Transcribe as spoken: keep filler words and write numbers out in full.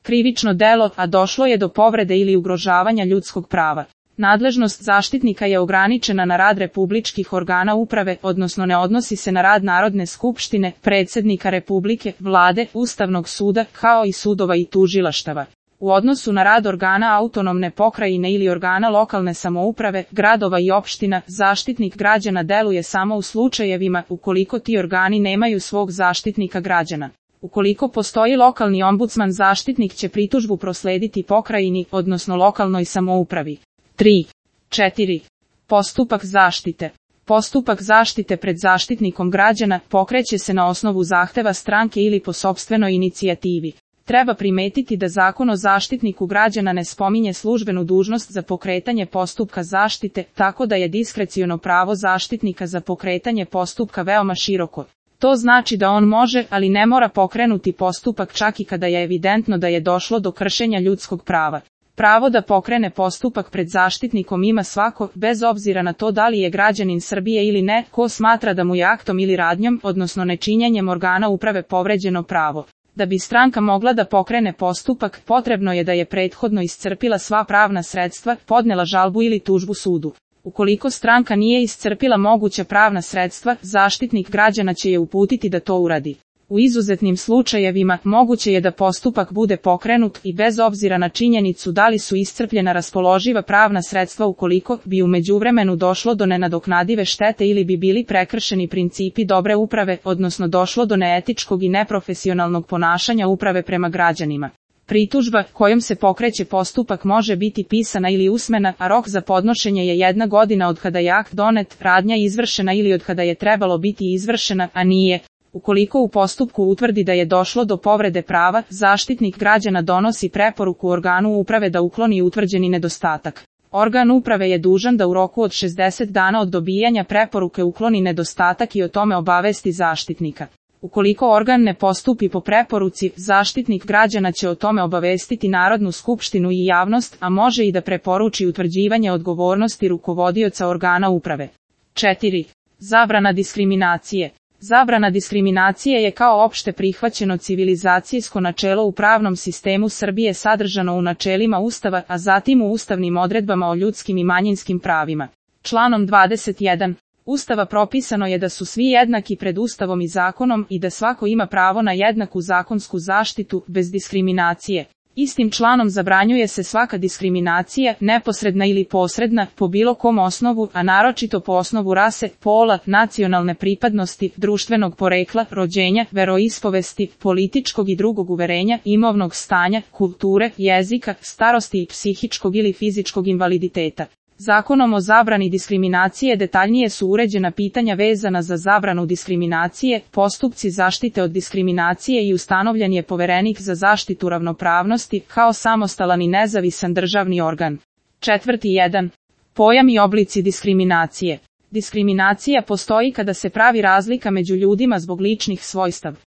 krivično delo, a došlo je do povrede ili ugrožavanja ljudskog prava. Nadležnost zaštitnika je ograničena na rad republičkih organa uprave, odnosno ne odnosi se na rad Narodne skupštine, predsjednika Republike, vlade, Ustavnog suda, kao i sudova i tužilaštava. U odnosu na rad organa autonomne pokrajine ili organa lokalne samouprave, gradova i opština, zaštitnik građana deluje samo u slučajevima ukoliko ti organi nemaju svog zaštitnika građana. Ukoliko postoji lokalni ombudsman, zaštitnik će pritužbu proslediti pokrajini, odnosno lokalnoj samoupravi. tri. četiri. Postupak zaštite. Postupak zaštite pred zaštitnikom građana pokreće se na osnovu zahteva stranke ili po sopstvenoj inicijativi. Treba primetiti da Zakon o zaštitniku građana ne spominje službenu dužnost za pokretanje postupka zaštite, tako da je diskreciono pravo zaštitnika za pokretanje postupka veoma široko. To znači da on može, ali ne mora pokrenuti postupak čak i kada je evidentno da je došlo do kršenja ljudskog prava. Pravo da pokrene postupak pred zaštitnikom ima svako, bez obzira na to da li je građanin Srbije ili ne, ko smatra da mu je aktom ili radnjom, odnosno nečinjenjem organa uprave povređeno pravo. Da bi stranka mogla da pokrene postupak, potrebno je da je prethodno iscrpila sva pravna sredstva, podnela žalbu ili tužbu sudu. Ukoliko stranka nije iscrpila moguća pravna sredstva, zaštitnik građana će je uputiti da to uradi. U izuzetnim slučajevima, moguće je da postupak bude pokrenut i bez obzira na činjenicu da li su iscrpljena raspoloživa pravna sredstva ukoliko bi u međuvremenu došlo do nenadoknadive štete ili bi bili prekršeni principi dobre uprave, odnosno došlo do neetičkog i neprofesionalnog ponašanja uprave prema građanima. Pritužba kojom se pokreće postupak može biti pisana ili usmena, a rok za podnošenje je jedna godina od kada je akt donet, radnja izvršena ili od kada je trebalo biti izvršena, a nije. Ukoliko u postupku utvrdi da je došlo do povrede prava, zaštitnik građana donosi preporuku organu uprave da ukloni utvrđeni nedostatak. Organ uprave je dužan da u roku od šezdeset dana od dobijanja preporuke ukloni nedostatak i o tome obavesti zaštitnika. Ukoliko organ ne postupi po preporuci, zaštitnik građana će o tome obavestiti Narodnu skupštinu i javnost, a može i da preporuči utvrđivanje odgovornosti rukovodioca organa uprave. četiri. Zabrana diskriminacije. Zabrana diskriminacije je kao opšte prihvaćeno civilizacijsko načelo u pravnom sistemu Srbije sadržano u načelima Ustava, a zatim u ustavnim odredbama o ljudskim i manjinskim pravima. Članom dvadeset jedan. Ustava propisano je da su svi jednaki pred Ustavom i zakonom i da svako ima pravo na jednaku zakonsku zaštitu, bez diskriminacije. Istim članom zabranjuje se svaka diskriminacija, neposredna ili posredna, po bilo kom osnovu, a naročito po osnovu rase, pola, nacionalne pripadnosti, društvenog porekla, rođenja, veroispovesti, političkog i drugog uverenja, imovnog stanja, kulture, jezika, starosti i psihičkog ili fizičkog invaliditeta. Zakonom o zabrani diskriminacije detaljnije su uređena pitanja vezana za zabranu diskriminacije, postupci zaštite od diskriminacije i ustanovljen je poverenik za zaštitu ravnopravnosti kao samostalan i nezavisan državni organ. Četvrti jedan. Pojam i oblici diskriminacije. Diskriminacija postoji kada se pravi razlika među ljudima zbog ličnih svojstava.